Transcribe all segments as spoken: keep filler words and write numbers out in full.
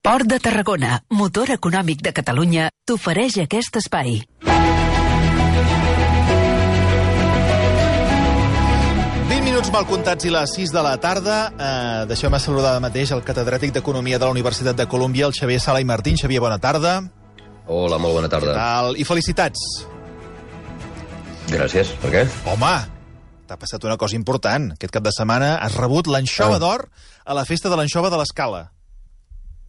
Port de Tarragona, motor econòmic de Catalunya, t'ofereix aquest espai. vint minuts mal comptats i les sis de la tarda. Eh, Deixeu-me saludar de mateix el catedràtic d'Economia de la Universitat de Colúmbia, el Xavier Sala i Martín. Xavier, bona tarda. Hola, molt bona tarda. Què tal? I felicitats. Gràcies. Per què? Home, t'ha passat una cosa important. Aquest cap de setmana has rebut l'anxova Ah. d'or a la festa de l'anxova de l'Escala.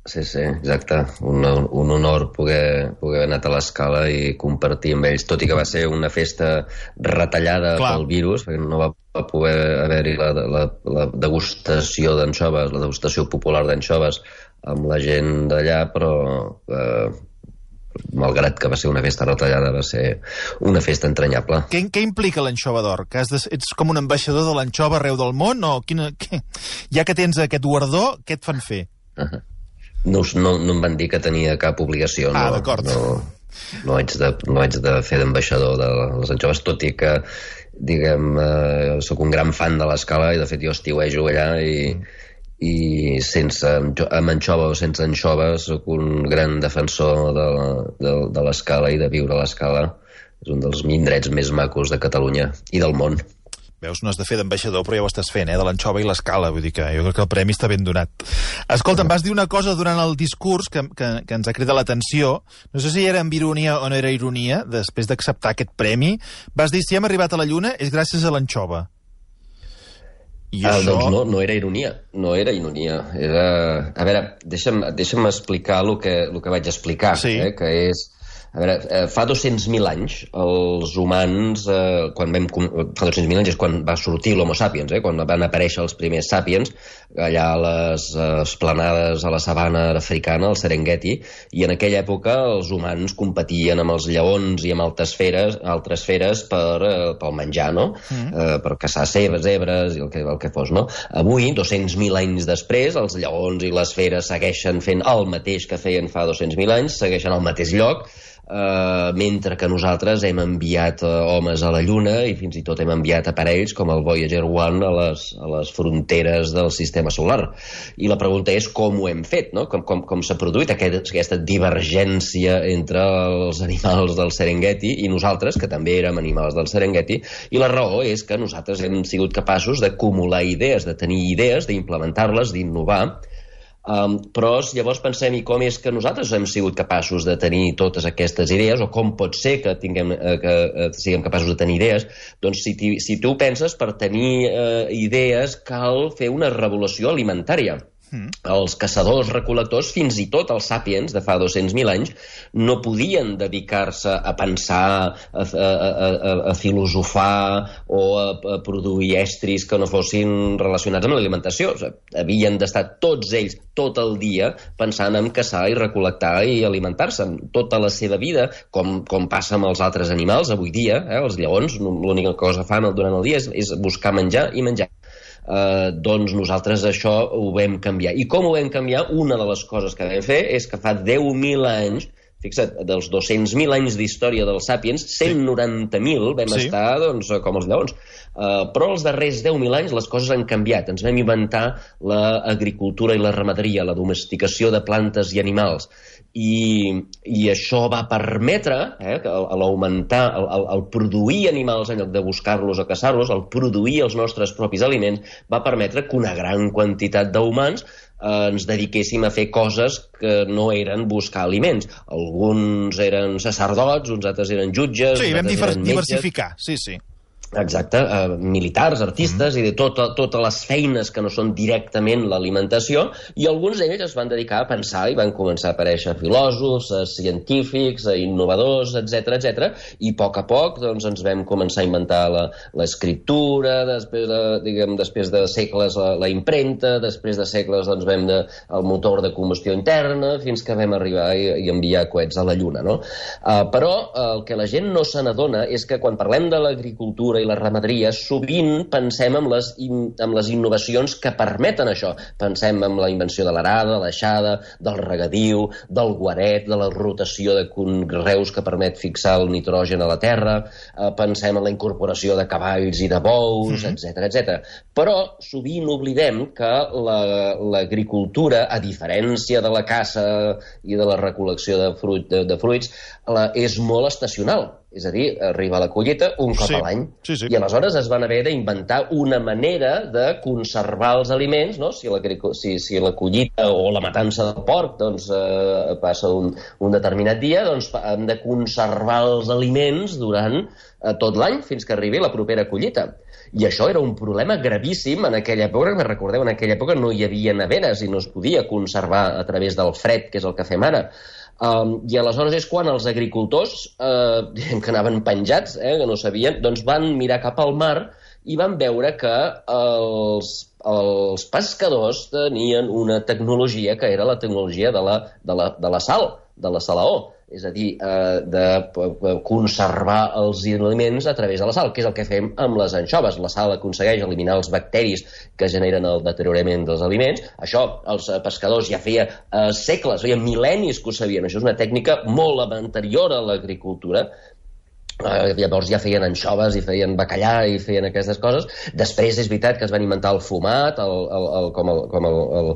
Sí, sí, exacte. Un, un honor poder, poder haver anat a l'Escala i compartir amb ells, tot i que va ser una festa retallada Clar. pel virus, perquè no va poder haver-hi la, la, la degustació d'anxoves, la degustació popular d'anxoves amb la gent d'allà, però eh, malgrat que va ser una festa retallada, va ser una festa entranyable. Què, què implica l'anxova d'or? Que has de, ets com un ambaixador de l'anxova arreu del món? O quina, què? Ja que tens aquest guardó, què et fan fer? Uh -huh. No, no, no em van dir que tenia cap obligació. Ah, no, d'acord. No, no, haig de, no haig de fer d'ambaixador de les anxoves, tot i que, diguem, eh, sóc un gran fan de l'Escala i, de fet, jo estiuejo allà i, i sense, amb anxova o sense anxova, sóc un gran defensor de, de, de l'Escala i de viure a l'Escala. És un dels indrets més macos de Catalunya i del món. Veus, no has de fer d'ambaixador, però ja ho estàs fent, eh? De l'anxova i l'Escala. Vull dir que jo crec que el premi està ben donat. Escolta, em vas dir una cosa durant el discurs que, que, que ens ha cridat l'atenció. No sé si era amb ironia o no era ironia, després d'acceptar aquest premi. Vas dir, si hem arribat a la Lluna és gràcies a l'anxova. I Ah, això... doncs no, no era ironia, no era ironia. Era... A veure, deixa'm, deixa'm explicar el que, el que vaig explicar, Sí. eh, que és... A veure, fa dos-cents mil anys, els humans, eh, quan vam, fa dos-cents mil anys és quan va sortir l'Homo sapiens, eh, quan van aparèixer els primers sapiens, allà a les eh, esplanades a la sabana africana, al Serengeti, i en aquella època els humans competien amb els lleons i amb altres feres, altres feres per, eh, pel menjar, no? Mm. Eh, per caçar cebes, zebres i el que, el que fos, no? Avui, dos-cents mil anys després, els lleons i les feres segueixen fent el mateix que feien fa dos-cents mil anys, segueixen al mateix lloc, Uh, mentre que nosaltres hem enviat uh, homes a la Lluna i fins i tot hem enviat aparells com el Voyager one a les, a les fronteres del sistema solar. I la pregunta és com ho hem fet, no? Com, com, com s'ha produït aquest, aquesta divergència entre els animals del Serengeti i nosaltres, que també érem animals del Serengeti, i la raó és que nosaltres hem sigut capaços d'acumular idees, de tenir idees, d'implementar-les, d'innovar. Um, però llavors pensem, i com és que nosaltres hem sigut capaços de tenir totes aquestes idees, o com pot ser que, tinguem, eh, que eh, siguem capaços de tenir idees? Doncs si, si tu penses, per tenir eh, idees cal fer una revolució alimentària. Mm. Els caçadors-recol·lectors, fins i tot els sàpiens de fa dos-cents mil anys, no podien dedicar-se a pensar, a, a, a, a filosofar o a, a produir estris que no fossin relacionats amb l'alimentació. O sigui, havien d'estar tots ells tot el dia pensant en caçar i recol·lectar i alimentar-se. Tota la seva vida, com, com passa amb els altres animals avui dia, eh, els lleons, l'única cosa que fan durant el dia és, és buscar menjar i menjar. Uh, doncs nosaltres això ho vam canviar. I com ho vam canviar? Una de les coses que vam fer és que fa deu mil anys, fixa't, dels dos-cents mil anys d'història dels sàpiens, cent noranta mil vam sí. estar doncs, com els lleons. Uh, però els darrers deu mil anys les coses han canviat. Ens vam inventar l'agricultura i la ramaderia, la domesticació de plantes i animals. I, i això va permetre, eh, l'augmentar, el, el, el produir animals en lloc de buscar-los o caçar-los, el produir els nostres propis aliments, va permetre que una gran quantitat d'humans eh, ens dediquéssim a fer coses que no eren buscar aliments. Alguns eren sacerdots, uns altres eren jutges... Sí, vam diver diversificar, sí, sí. Exacte, uh, militars, artistes, mm. i de tota, totes les feines que no són directament l'alimentació, i alguns d'ells es van dedicar a pensar i van començar a aparèixer filòsofs, uh, científics, uh, innovadors, etcètera, etcètera, i a poc a poc doncs, ens vam començar a inventar l'escriptura, després, de, diguem, després de segles la, la impremta, després de segles doncs, vam de, el motor de combustió interna, fins que vam arribar i, i enviar coets a la Lluna, no? Uh, però uh, el que la gent no se n'adona és que quan parlem de l'agricultura i la ramaderia, sovint pensem en les, in, en les innovacions que permeten això. Pensem en la invenció de l'arada, de l'aixada, del regadiu, del guaret, de la rotació de conreus que permet fixar el nitrogen a la terra, eh, pensem en la incorporació de cavalls i de bous, mm-hmm. etcètera, etcètera. Però sovint oblidem que l'agricultura, la, a diferència de la caça i de la recol·lecció de, fruit, de, de fruits, la, és molt estacional. És a dir, arriba la collita un cop sí, a l'any. Sí, sí. I aleshores es van haver d'inventar una manera de conservar els aliments, no? Si la, si, si la collita o la matança del porc doncs, eh, passa un, un determinat dia, doncs hem de conservar els aliments durant eh, tot l'any fins que arribi la propera collita. I això era un problema gravíssim en aquella època, que recordeu, en aquella època no hi havia neveres i no es podia conservar a través del fred, que és el que fem ara. Um, I aleshores és quan els agricultors, eh, diguem que anaven penjats, eh, que no sabien, doncs van mirar cap al mar i van veure que els, els pescadors tenien una tecnologia que era la tecnologia de la, de la, de la sal, de la salaó. És a dir, eh, de conservar els aliments a través de la sal, que és el que fem amb les anxoves. La sal aconsegueix eliminar els bacteris que generen el deteriorament dels aliments. Això els pescadors ja feia eh, segles, feia mil·lennis que ho sabien. Això és una tècnica molt anterior a l'agricultura. Uh, llavors ja feien anxoves i feien bacallà i feien aquestes coses. Després és veritat que es van inventar el fumat, el, el, el, com, el, com el, el,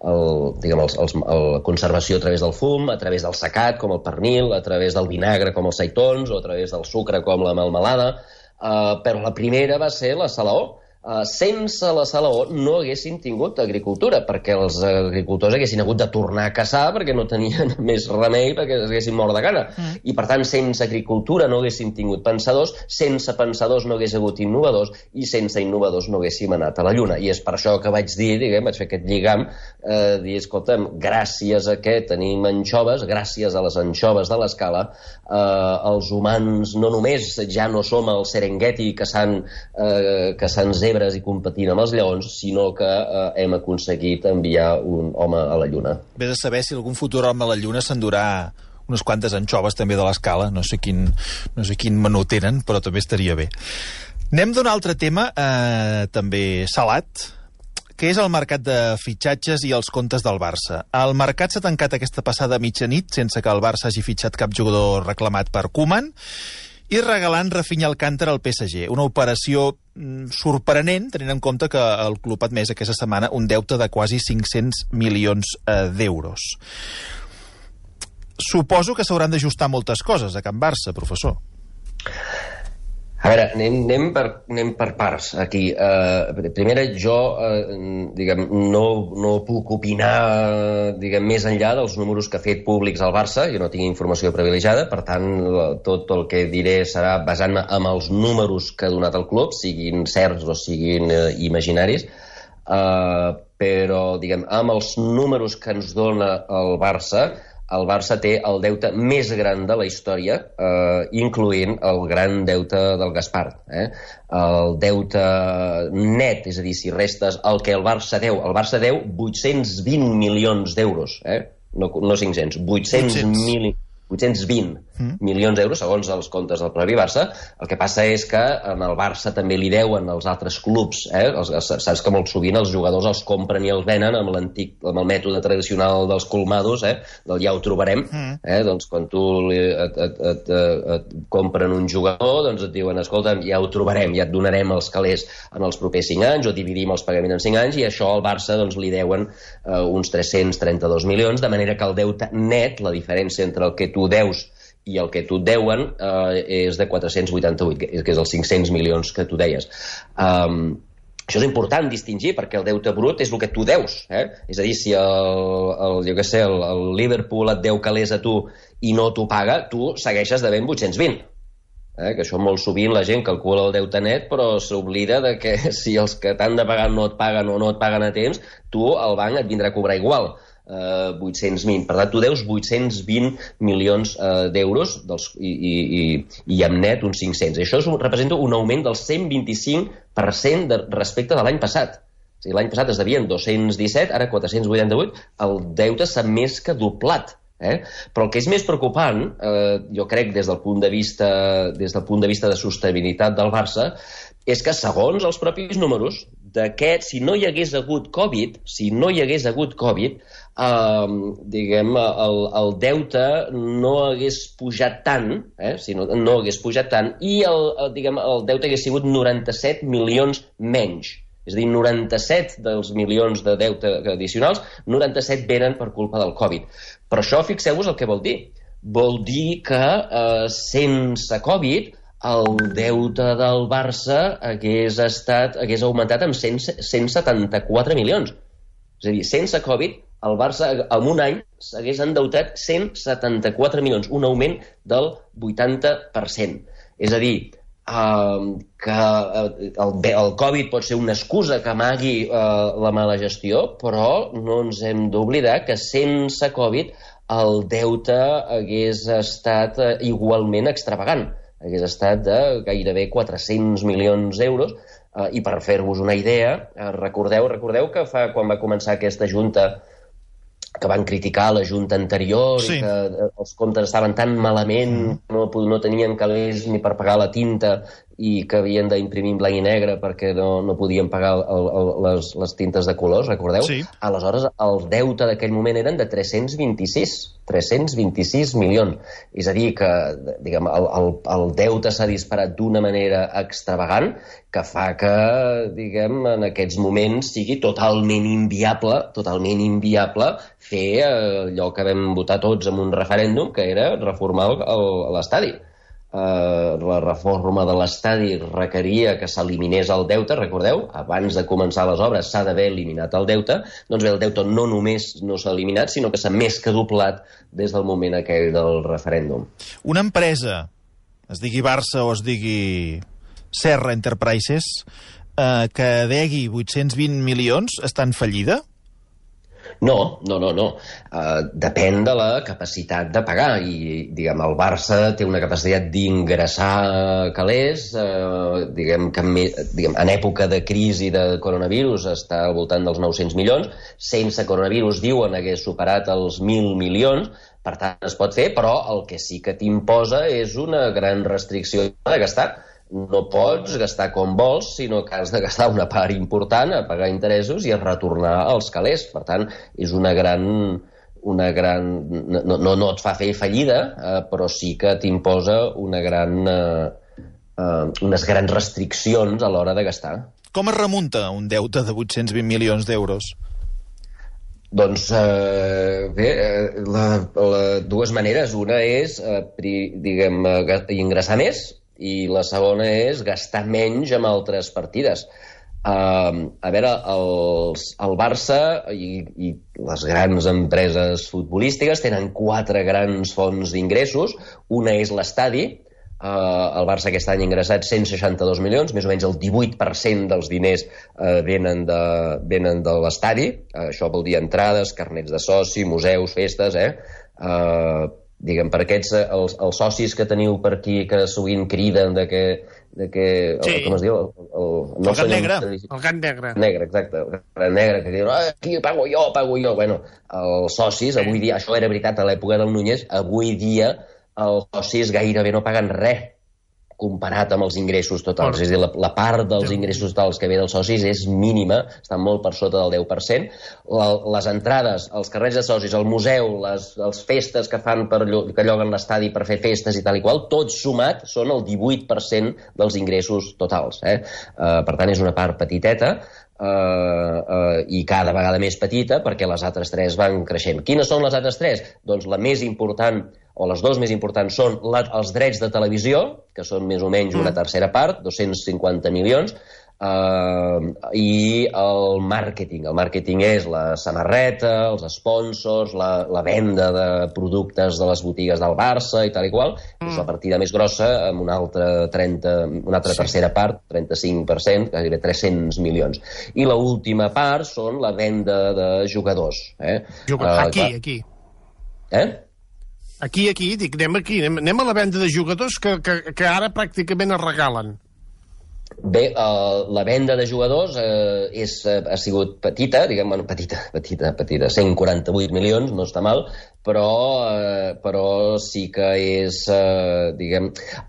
el, diguem, el, el, el conservació a través del fum, a través del secat, com el pernil, a través del vinagre, com els seitons, o a través del sucre, com la melmelada. Uh, però la primera va ser la salaó. Uh, sense la salaó no haguessin tingut agricultura, perquè els agricultors haguessin hagut de tornar a caçar perquè no tenien més remei, perquè es haguessin mort de gana. Mm. I, per tant, sense agricultura no haguessin tingut pensadors, sense pensadors no hagués hagut innovadors, i sense innovadors no haguéssim anat a la Lluna. I és per això que vaig dir, diguem, vaig fer aquest lligam, eh, dir, escolta'm, gràcies a què tenim anxoves, gràcies a les anxoves de l'Escala, eh, els humans no només ja no som el Serengeti caçant, eh, caçant zebres i competint amb els lleons, sinó que eh, hem aconseguit enviar un home a la Lluna. Vés a saber si algun futur home a la Lluna s'endurà unes quantes anxoves també de l'Escala. No sé quin, no sé quin menú tenen, però també estaria bé. Anem d'un altre tema, eh, també salat, que és el mercat de fitxatges i els comptes del Barça. El mercat s'ha tancat aquesta passada mitjanit sense que el Barça hagi fitxat cap jugador reclamat per Koeman, i regalant Rafinha Alcántara al P S G. Una operació mm, sorprenent, tenint en compte que el club ha admès aquesta setmana un deute de quasi cinc-cents milions eh, d'euros. Suposo que s'hauran d'ajustar moltes coses a Can Barça, professor. A veure, anem, anem, per, anem per parts aquí. Uh, primera, jo uh, diguem, no, no puc opinar diguem, més enllà dels números que ha fet públics al Barça. Jo no tinc informació privilegiada, per tant, tot el que diré serà basant-me en els números que ha donat el club, siguin certs o siguin uh, imaginaris. Uh, però, diguem, amb els números que ens dona el Barça, el Barça té el deute més gran de la història, eh, incloent el gran deute del Gaspart. Eh? El deute net, és a dir, si restes el que el Barça deu, el Barça deu vuit-cents vint milions d'euros, eh? no, no cinc-cents, vuit-cents mil... vuit-cents vint mm. milions d'euros, segons els comptes del propi Barça. El que passa és que en el Barça també li deuen els altres clubs. Eh? Els, saps que molt sovint els jugadors els compren i els venen amb l'antic, amb el mètode tradicional dels colmados, eh? del ja ho trobarem. Mm. Eh? Doncs quan tu et, et, et, et compren un jugador, doncs et diuen, escolta, ja ho trobarem, ja et donarem els calés en els propers cinc anys, o dividim els pagaments en cinc anys, i això al Barça doncs, li deuen eh, uns tres-cents trenta-dos milions, de manera que el deute net, la diferència entre el que tu deus i el que tu et deuen eh, és de quatre-cents vuitanta-vuit, que és els cinc-cents milions que tu deies. Um, això és important distingir, perquè el deute brut és el que tu deus. Eh? És a dir, si el, el, jo què sé, el, el Liverpool et deu calés a tu i no t'ho paga, tu segueixes devent vuit-cents vint. Eh? Que això molt sovint la gent calcula el deute net, però s'oblida de que si els que t'han de pagar no et paguen o no et paguen a temps, tu el banc et vindrà a cobrar igual. Uh, vuit-cents vint. Per tant, tu deus vuit-cents vint milions uh, d'euros dels, i, i, i, i amb net uns cinc-cents. Això és un, representa un augment del cent vint-i-cinc per cent de, respecte de l'any passat. O sigui, l'any passat es devien dos-cents disset, ara quatre-cents vuitanta-vuit. El deute s'ha més que doblat. Eh? Però el que és més preocupant, eh, jo crec des del punt de vista des del punt de vista de sostenibilitat del Barça, és que segons els propis números d'aquest, si no hi hagués hagut Covid, si no hi hagués hagut Covid, eh, diguem, el, el deute no hagués pujat tant, eh, si no, no hagués pujat tant, i el, el, diguem, el deute hagués sigut noranta-set milions menys. És a dir, noranta-set dels milions de deute addicionals, noranta-set venen per culpa del Covid. Però això, fixeu-vos el que vol dir. Vol dir que eh, sense Covid el deute del Barça hagués, estat, hagués augmentat amb cent, cent setanta-quatre milions. És a dir, sense Covid, el Barça en un any s'hagués endeutat cent setanta-quatre milions, un augment del vuitanta per cent. És a dir, Uh, que uh, el, el Covid pot ser una excusa que amagui uh, la mala gestió, però no ens hem d'oblidar que sense Covid el deute hagués estat uh, igualment extravagant. Hagués estat de gairebé quatre-cents milions d'euros, uh, i per fer-vos una idea, uh, recordeu, recordeu que fa, quan va començar aquesta junta que van criticar la junta anterior, sí, i que els comptes estaven tan malament, mm. no, no tenien calés ni per pagar la tinta i que havien d'imprimir en blanc i negre perquè no, no podien pagar el, el, les, les tintes de colors, recordeu? Sí. Aleshores, el deute d'aquell moment eren de tres-cents vint-i-sis, tres-cents vint-i-sis milions. És a dir, que diguem, el, el, el deute s'ha disparat d'una manera extravagant que fa que, diguem, en aquests moments sigui totalment inviable, totalment inviable fer allò que vam votar tots en un referèndum, que era reformar l'estadi. Uh, la reforma de l'estadi requeria que s'eliminés el deute, recordeu? Abans de començar les obres s'ha d'haver eliminat el deute. Doncs bé, el deute no només no s'ha eliminat, sinó que s'ha més que doblat des del moment aquell del referèndum. Una empresa, es digui Barça o es digui Serra Enterprises, eh, que degui vuit-cents vint milions, està en fallida? No, no, no, no. Uh, depèn de la capacitat de pagar i, diguem, el Barça té una capacitat d'ingressar calés, uh, diguem, que diguem, en època de crisi de coronavirus està al voltant dels nou-cents milions, sense coronavirus, diuen, hagués superat els mil milions, per tant es pot fer, però el que sí que t'imposa és una gran restricció de gastar. No pots gastar com vols, sinó que has de gastar una part important a pagar interessos i a retornar els calés. Per tant, és una gran... Una gran no, no, no et fa fer fallida, eh, però sí que t'imposa una gran, eh, eh, unes grans restriccions a l'hora de gastar. Com es remunta un deute de vuit-cents vint milions d'euros? Doncs, eh, bé, la, la, dues maneres. Una és, eh, pri, diguem, eh, ingressar més, i la segona és gastar menys amb altres partides. Uh, a veure, els, el Barça i, i les grans empreses futbolístiques tenen quatre grans fonts d'ingressos. Una és l'estadi. Uh, el Barça aquest any ha ingressat cent seixanta-dos milions, més o menys el divuit per cent dels diners uh, venen, de, venen de l'estadi. Uh, això vol dir entrades, carnets de soci, museus, festes, eh? Uh, diguem, per aquests, els, els socis que teniu per aquí, que sovint criden de que... De que sí. el, com es diu? El, el, no el gat negre. El gat negre. Negre, exacte. El gat negre, que diuen, ah, aquí pago jo, pago jo. Bueno, els socis, sí. Avui dia, això era veritat a l'època del Núñez, avui dia els socis gairebé no paguen res comparat amb els ingressos totals. Oh. És a dir, la, la part dels ingressos totals que ve dels socis és mínima, està molt per sota del deu per cent. La, les entrades, els carrers de socis, el museu, les, les festes que fan per, que lloguen l'estadi per fer festes i tal i qual, tot sumat són el divuit per cent dels ingressos totals. Eh? Uh, per tant, és una part petiteta, uh, uh, i cada vegada més petita, perquè les altres tres van creixent. Quines són les altres tres? Doncs la més important, o les dues més importants, són la, els drets de televisió, que són més o menys una tercera part, dos-cents cinquanta milions, uh, i el màrqueting. El màrqueting és la samarreta, els sponsors, la, la venda de productes de les botigues del Barça i tal i qual. Mm. És la partida més grossa, amb una altra, trenta, una altra sí. tercera part, trenta-cinc per cent, gairebé tres-cents milions. I l'última part són la venda de jugadors. Eh? Jugadors. Uh, aquí, clar. aquí. Eh? Aquí, aquí, dic, anem aquí, anem, anem a la venda de jugadors que, que, que ara pràcticament es regalen. Bé, uh, la venda de jugadors uh, és, uh, ha sigut petita, diguem, bueno, petita, petita, petita, cent quaranta-vuit milions, no està mal, però, uh, però sí que és, uh, diguem,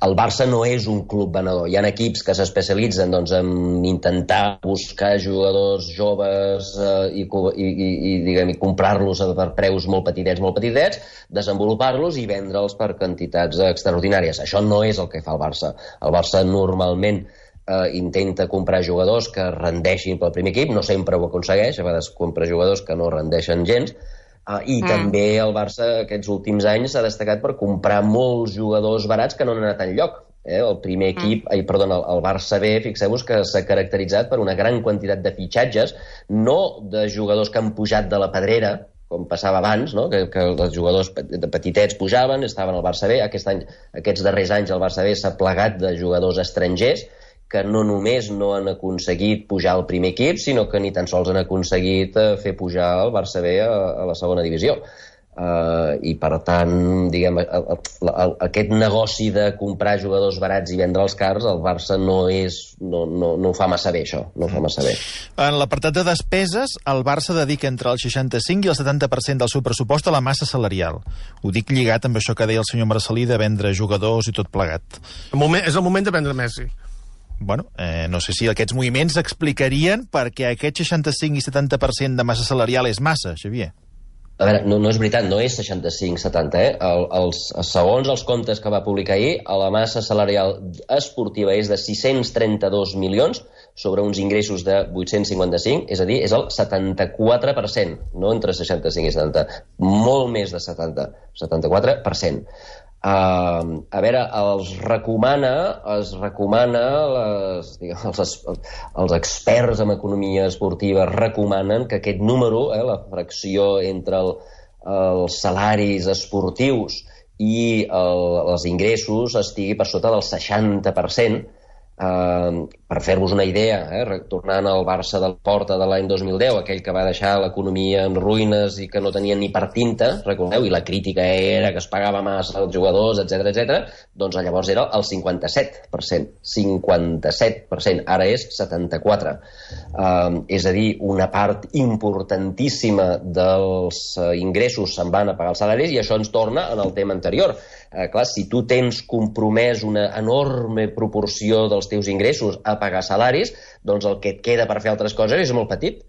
el Barça no és un club venedor. Hi ha equips que s'especialitzen doncs, en intentar buscar jugadors joves uh, i, i, i, diguem, i comprar-los per preus molt petitets, molt petitets, desenvolupar-los i vendre'ls per quantitats extraordinàries. Això no és el que fa el Barça. El Barça normalment Uh, intenta comprar jugadors que rendeixin pel primer equip, no sempre ho aconsegueix, a vegades compra jugadors que no rendeixen gens, uh, i mm. també el Barça aquests últims anys s'ha destacat per comprar molts jugadors barats que no han anat enlloc. Eh? El primer equip, mm. ai, perdona, el, el Barça B, fixeu-vos que s'ha caracteritzat per una gran quantitat de fitxatges, no de jugadors que han pujat de la pedrera, com passava abans, no? que, que els jugadors petitets pujaven, estaven al Barça B. Aquest any, aquests darrers anys el Barça B s'ha plegat de jugadors estrangers que no només no han aconseguit pujar al primer equip, sinó que ni tan sols han aconseguit uh, fer pujar el Barça B a, a la segona divisió. Uh, I, per tant, diguem, el, el, el, aquest negoci de comprar jugadors barats i vendre'ls cars, el Barça no és, no, no, no ho fa massa bé, això. No ho fa massa bé. En l'apartat de despeses, el Barça dedica entre el seixanta-cinc i el setanta per cent del seu pressupost a la massa salarial. Ho dic lligat amb això que deia el senyor Marcelí de vendre jugadors i tot plegat. El moment, és el moment de vendre Messi. Bueno, eh, no sé si aquests moviments explicarien perquè aquest seixanta-cinc i setanta per cent de massa salarial és massa, Xavier. A veure, no, no és veritat, no és seixanta-cinc setanta, eh? El, els, segons els comptes que va publicar ahir, la massa salarial esportiva és de sis-cents trenta-dos milions sobre uns ingressos de vuit-cents cinquanta-cinc, és a dir, és el setanta-quatre per cent, no entre seixanta-cinc i setanta, molt més de setanta, setanta-quatre per cent. Uh, a veure, els recomana, es recomana les, diguem, els, els experts en economia esportiva recomanen que aquest número, eh, la fracció entre el, els salaris esportius i el, els ingressos estigui per sota del seixanta per cent. Uh, per fer-vos una idea, eh, tornant al Barça del Porta de l'any dos mil deu, aquell que va deixar l'economia en ruïnes i que no tenia ni per tinta, recordeu, i la crítica era que es pagava massa als jugadors, etcètera, etcètera, doncs llavors era el cinquanta-set per cent. cinquanta-set per cent, ara és setanta-quatre per cent. Uh, és a dir, una part importantíssima dels uh, ingressos se'n van a pagar els salaris, i això ens torna en el tema anterior. Uh, clar, si tu tens compromès una enorme proporció dels teus ingressos a pagar salaris, doncs el que et queda per fer altres coses és molt petit.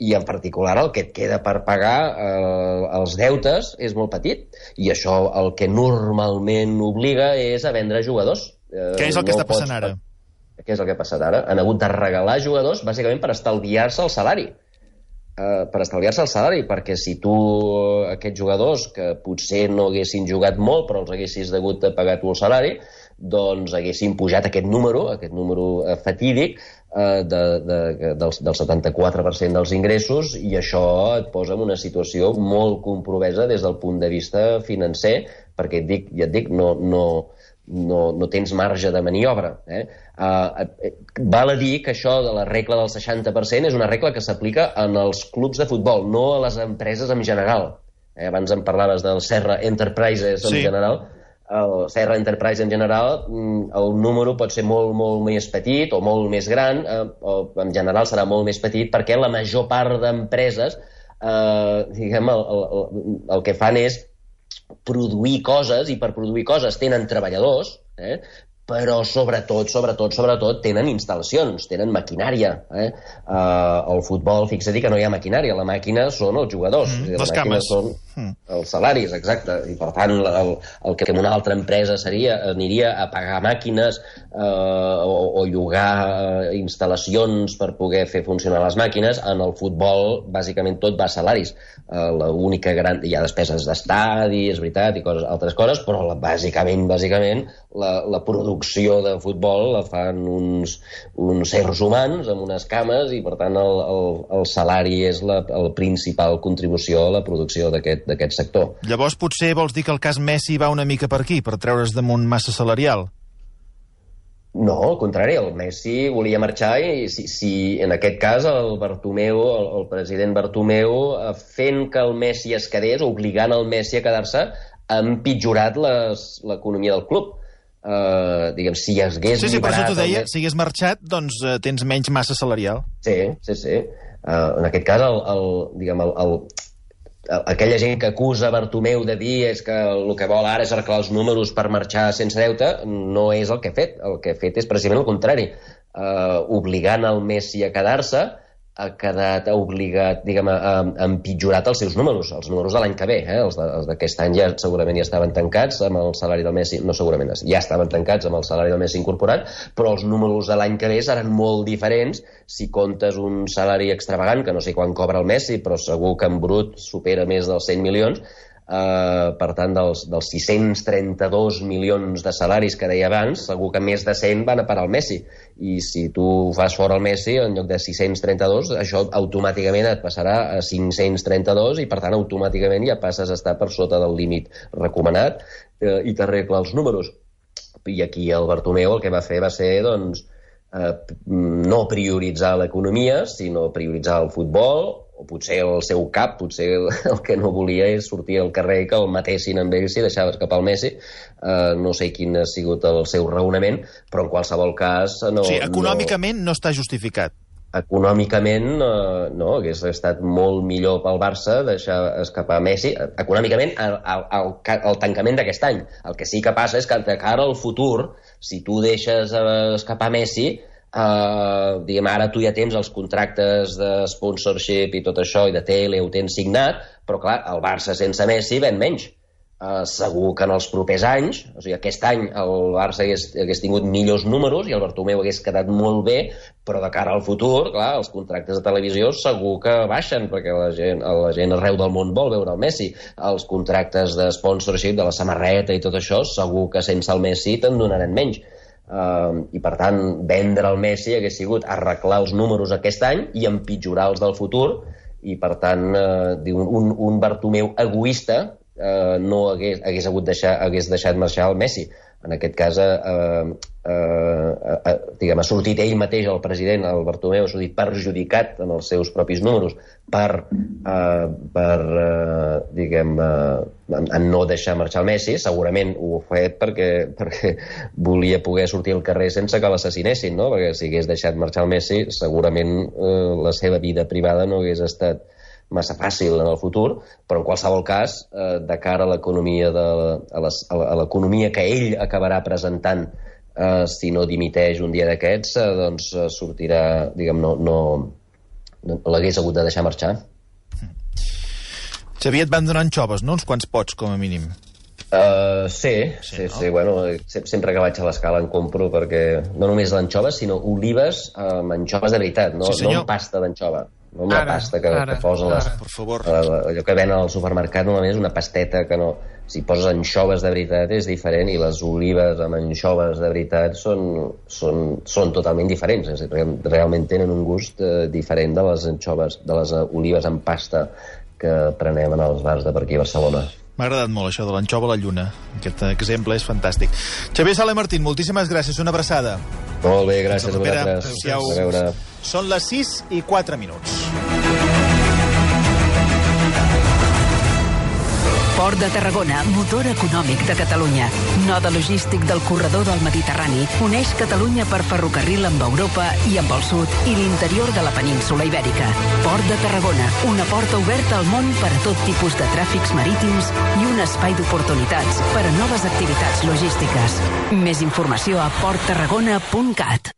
I en particular el que et queda per pagar eh, els deutes és molt petit. I això el que normalment obliga és a vendre jugadors. Eh, Què és el que no està passant pots... ara? Què és el que ha passat ara? Han hagut de regalar jugadors bàsicament per estalviar-se el salari. Uh, per estalviar-se el salari, perquè si tu uh, aquests jugadors que potser no haguessin jugat molt però els haguessis degut de pagar tu el salari, doncs haguessin pujat aquest número, aquest número uh, fatídic uh, de, de, del, del setanta-quatre per cent dels ingressos, i això et posa en una situació molt compromesa des del punt de vista financer, perquè et dic, ja et dic, no, no, no, no tens marge de maniobra. Eh? Uh, val a dir que això de la regla del seixanta per cent és una regla que s'aplica en els clubs de futbol, no a les empreses en general. Eh, abans em parlaves del Serra Enterprises en sí. general. El Serra Enterprise en general, el número pot ser molt, molt més petit o molt més gran, eh, o en general serà molt més petit, perquè la major part d'empreses eh, diguem, el, el, el que fan és produir coses, i per produir coses tenen treballadors, eh? però sobretot, sobretot, sobretot tenen instal·lacions, tenen maquinària. Eh? Uh, el futbol, fixa-t'hi que no hi ha maquinària, la màquina són els jugadors. Mm, les les cames. Són mm. els salaris, exacte. I per tant, el, el que una altra empresa seria, aniria a pagar màquines uh, o, o llogar instal·lacions per poder fer funcionar les màquines. En el futbol, bàsicament, tot va a salaris. Uh, l'única gran... Hi ha despeses d'estadi, és veritat, i coses, altres coses, però la, bàsicament, bàsicament, la, la producció de futbol la fan uns, uns éssers humans amb unes cames, i per tant el, el, el salari és la, la principal contribució a la producció d'aquest sector. Llavors potser vols dir que el cas Messi va una mica per aquí, per treure's damunt massa salarial? No, al contrari, el Messi volia marxar, i si, si en aquest cas el Bartomeu, el, el president Bartomeu, fent que el Messi es quedés, obligant el Messi a quedar-se, ha empitjorat l'economia del club. Uh, diguem, si hagués Sí, sí, per això liberat t'ho deia, el... si hagués marxat, doncs uh, tens menys massa salarial. Sí, sí, sí. Uh, en aquest cas, el, el, diguem, el, el, el, aquella gent que acusa Bartomeu de dir és que el que vol ara és arreglar els números per marxar sense deute, no és el que ha fet. El que ha fet és precisament el contrari. Uh, obligant el Messi a quedar-se, ha quedat obligat, diguem, a, a empitjorat els seus números, els números de l'any que ve. Eh? Els, de, els d'aquest any ja segurament ja estaven tancats amb el salari del Messi, no segurament, ja estaven tancats amb el salari del Messi incorporat, però els números de l'any que ve seran molt diferents si comptes un salari extravagant, que no sé quan cobra el Messi, però segur que en brut supera més dels cent milions, Uh, per tant, dels, dels sis-cents trenta-dos milions de salaris que deia abans, segur que més de cent van a parar al Messi. I si tu fas fora el Messi, en lloc de sis-cents trenta-dos, això automàticament et passarà a cinc-cents trenta-dos i, per tant, automàticament ja passes a estar per sota del límit recomanat uh, i t'arregla els números. I aquí el Bartomeu el que va fer va ser, doncs, uh, no prioritzar l'economia, sinó prioritzar el futbol, o potser el seu cap, potser el, el que no volia és sortir al carrer i que el matessin amb ell si deixava escapar el Messi. Uh, no sé quin ha sigut el seu raonament, però en qualsevol cas... No, o sigui, econòmicament no, no està justificat. Econòmicament uh, no, hagués estat molt millor pel Barça deixar escapar Messi. Econòmicament, al, al, al tancament d'aquest any. El que sí que passa és que de cara al futur, si tu deixes escapar Messi, Uh, diguem, ara tu ja tens els contractes de sponsorship i tot això, i de tele ho tens signat, però clar, el Barça sense Messi ven menys. Uh, segur que en els propers anys, o sigui, aquest any el Barça hagués, hagués tingut millors números i el Bartomeu hagués quedat molt bé, però de cara al futur, clar, els contractes de televisió segur que baixen, perquè la gent, la gent arreu del món vol veure el Messi. Els contractes de sponsorship, de la samarreta i tot això, segur que sense el Messi te'n donaran menys. Uh, i per tant vendre el Messi hagués sigut arreglar els números aquest any i empitjorar els del futur, i per tant uh, un, un Bartomeu egoista uh, no hagués, hagués, hagut deixar, hagués deixat marxar el Messi. En aquest cas uh, uh, uh, diguem, ha sortit ell mateix, el president, el Bartomeu, ha sortit perjudicat en els seus propis números per, uh, per uh, diguem, uh, en, en no deixar marxar el Messi. Segurament ho ha fet perquè, perquè volia poder sortir al carrer sense que l'assassinessin, no? Perquè si hagués deixat marxar el Messi, segurament uh, la seva vida privada no hagués estat massa fàcil en el futur, però en qualsevol cas, eh, de cara a l'economia de, a, les, a l'economia que ell acabarà presentant, eh, si no dimiteix un dia d'aquests, eh, doncs eh, sortirà, diguem, no, no, no l'hagués hagut de deixar marxar. Xavier, et van donant xoves, no? Uns quants pots, com a mínim. Uh, sí, sí, sí, no? sí, bueno, sempre que vaig a l'escala en compro, perquè no només l'anxoves, sinó olives amb anxoves de veritat, no, sí, no amb pasta d'anxova. No amb la Ara, pasta que, ara, que posa les, per favor. allò que venen al supermercat normalment és una pasteta que no... Si poses anxoves de veritat és diferent, i les olives amb anxoves de veritat són, són, són totalment diferents. És a dir, realment tenen un gust eh, diferent de les anxoves, de les olives amb pasta que prenem en els bars de per aquí a Barcelona. M'ha agradat molt això de l'anxova a la lluna. Aquest exemple és fantàstic. Xavier Sala i Martín, moltíssimes gràcies. Una abraçada. Molt bé, gràcies a Propera, vosaltres. adéu-siau. A veure. Són les sis i quatre minuts. Port de Tarragona, motor econòmic de Catalunya. Node logístic del corredor del Mediterrani. Uneix Catalunya per ferrocarril amb Europa i amb el sud i l'interior de la península Ibèrica. Port de Tarragona, una porta oberta al món per a tot tipus de tràfics marítims i un espai d'oportunitats per a noves activitats logístiques. Més informació a port tarragona punt cat.